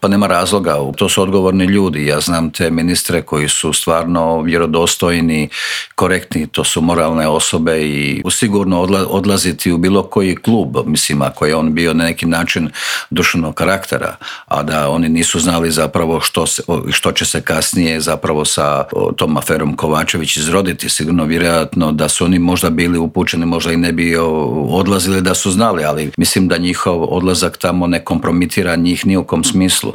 Pa nema razloga, to su odgovorni ljudi. Ja znam te ministre koji su stvarno vjerodostojni, korektni, to su moralne osobe i sigurno odlaziti u bilo koji klub, mislim, ako je on bio na neki način društvenog karaktera, a da oni nisu znali zapravo što će se kasnije zapravo sa tom aferom Kovačević izroditi. Sigurno vjerojatno da su oni možda bili upućeni, možda i ne bi odlazili da su znali, ali mislim da njihov odlazak tamo ne kompromitira njih ni u kom smislu.